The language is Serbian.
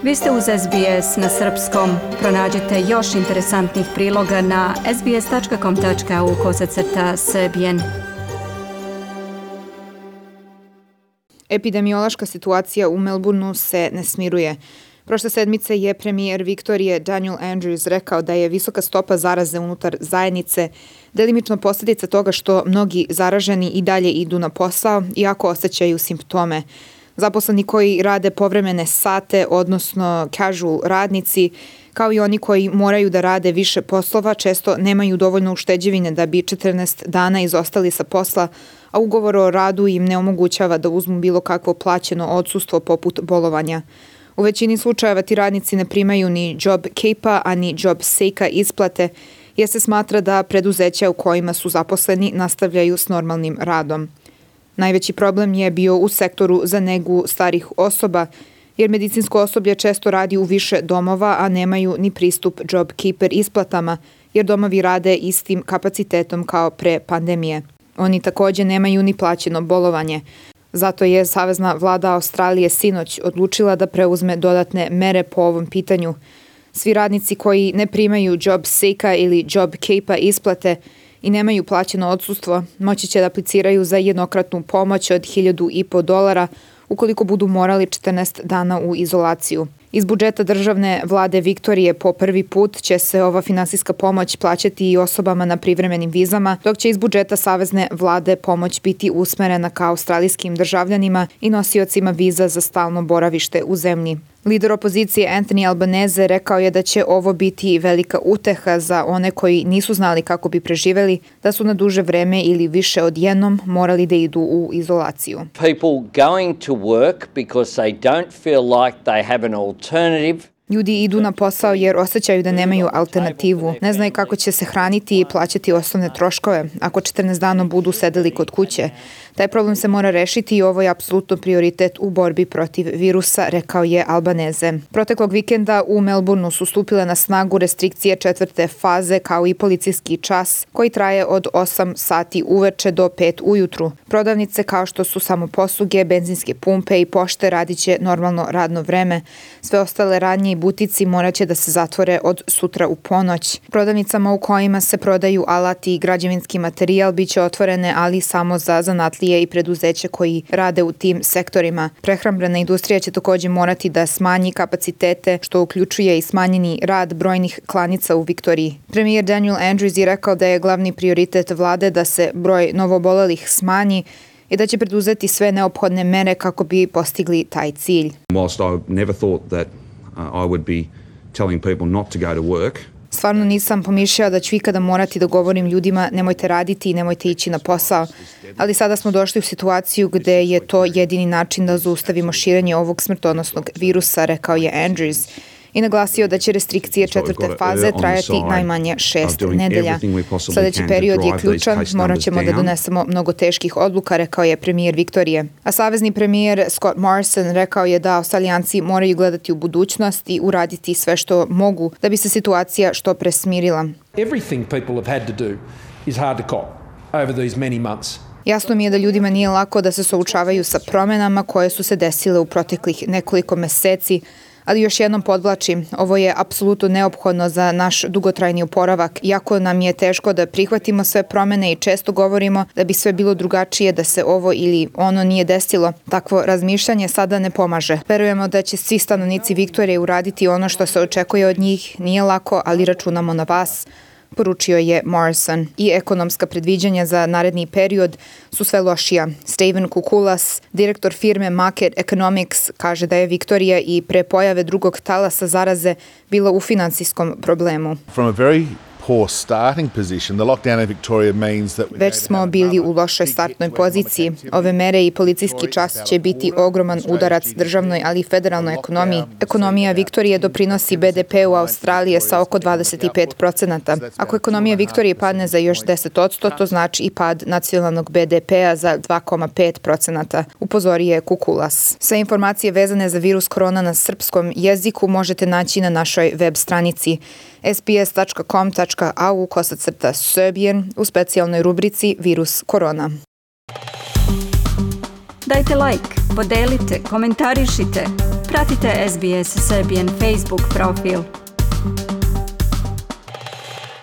Vi ste uz SBS na srpskom. Pronađite još interesantnih priloga na sbs.com.au/srbijen. Epidemiološka situacija u Melbourneu se ne smiruje. Prošle sedmice je premijer Viktorije Daniel Andrews rekao da je visoka stopa zaraze unutar zajednice delimično posljedica toga što mnogi zaraženi i dalje idu na posao iako osjećaju simptome. Zaposleni koji rade povremene sate, odnosno casual radnici, kao i oni koji moraju da rade više poslova, često nemaju dovoljno ušteđevine da bi 14 dana izostali sa posla, a ugovor o radu im ne omogućava da uzmu bilo kakvo plaćeno odsustvo poput bolovanja. U većini slučajeva ti radnici ne primaju ni job keepa, a ni job seka isplate, jer se smatra da preduzeća u kojima su zaposleni nastavljaju s normalnim radom. Najveći problem je bio u sektoru za negu starih osoba, jer medicinsko osoblje često radi u više domova, a nemaju ni pristup job keeper isplatama, jer domovi rade istim kapacitetom kao pre pandemije. Oni također nemaju ni plaćeno bolovanje. Zato je Savezna vlada Australije sinoć odlučila da preuzme dodatne mere po ovom pitanju. Svi radnici koji ne primaju job seka ili job keepa isplate i nemaju plaćeno odsustvo, moći će da apliciraju za jednokratnu pomoć od $1.500 ukoliko budu morali 14 dana u izolaciju. Iz budžeta državne vlade Viktorije po prvi put će se ova finansijska pomoć plaćati i osobama na privremenim vizama, dok će iz budžeta savezne vlade pomoć biti usmerena ka australijskim državljanima i nosiocima viza za stalno boravište u zemlji. Lider opozicije Anthony Albanese rekao je da će ovo biti velika uteha za one koji nisu znali kako bi preživeli, da su na duže vreme ili više od jednom morali da idu u izolaciju. People going to work because they don't feel like they have an alternative. Ljudi idu na posao jer osjećaju da nemaju alternativu. Ne znaju kako će se hraniti i plaćati osnovne troškove ako 14 dana budu sedeli kod kuće. Taj problem se mora rešiti i ovo je apsolutno prioritet u borbi protiv virusa, rekao je Albanese. Proteklog vikenda u Melbourneu su stupile na snagu restrikcije 4. faze kao i policijski čas koji traje od 8 sati uveče do 5 ujutru. Prodavnice kao što su samoposluge, benzinske pumpe i pošte radiće normalno radno vreme. Sve ostale radnje i butici morat će da se zatvore od sutra u ponoć. Prodavnicama u kojima se prodaju alati i građevinski materijal biće otvorene, ali samo za zanatlije i preduzeće koji rade u tim sektorima. Prehrambena industrija će također morati da smanji kapacitete, što uključuje i smanjeni rad brojnih klanica u Viktoriji. Premijer Daniel Andrews je rekao da je glavni prioritet vlade da se broj novobolelih smanji i da će preduzeti sve neophodne mere kako bi postigli taj cilj. Whilst I never thought that I would be telling people not to go to work. Stvarno nisam pomišljao da ću ikada morati da govorim ljudima nemojte raditi i nemojte ići na posao, ali sada smo došli u situaciju gde je to jedini način da zaustavimo širenje ovog smrtonosnog virusa, rekao je Andrews. I naglasio da će restrikcije 4. faze trajati najmanje 6 nedelja. Sljedeći period je ključan, morat ćemo da donesemo mnogo teških odluka, rekao je premijer Viktorije. A savezni premijer Scott Morrison rekao je da Australijanci moraju gledati u budućnost i uraditi sve što mogu da bi se situacija što pre smirila. Everything people have had to do is hard to cop over these many months. Jasno mi je da ljudima nije lako da se suočavaju sa promenama koje su se desile u proteklih nekoliko meseci, ali još jednom podvlačim, ovo je apsolutno neophodno za naš dugotrajni oporavak. Iako nam je teško da prihvatimo sve promene i često govorimo da bi sve bilo drugačije, da se ovo ili ono nije desilo, takvo razmišljanje sada ne pomaže. Verujemo da će svi stanovnici Viktorije uraditi ono što se očekuje od njih. Nije lako, ali računamo na vas, poručio je Morrison. I ekonomska predviđanja za naredni period su sve lošija. Steven Kukulas, direktor firme Market Economics, kaže da je Viktorija i pre pojave drugog talasa zaraze bila u finansijskom problemu. Već smo bili u lošoj startnoj poziciji. Ove mere i policijski čas će biti ogroman udarac državnoj, ali i federalnoj ekonomiji. Ekonomija Viktorije doprinosi BDP-u Australije sa oko 25%. Ako ekonomija Viktorije padne za još 10%, to znači i pad nacionalnog BDP-a za 2,5%, upozorio je Kukulas. Sve informacije vezane za virus korona na srpskom jeziku možete naći na našoj web stranici sbs.com.au/srbijen u specijalnoj rubrici Virus korona. Dajte like, podelite, komentarišite. Pratite SBS Serbian Facebook profil.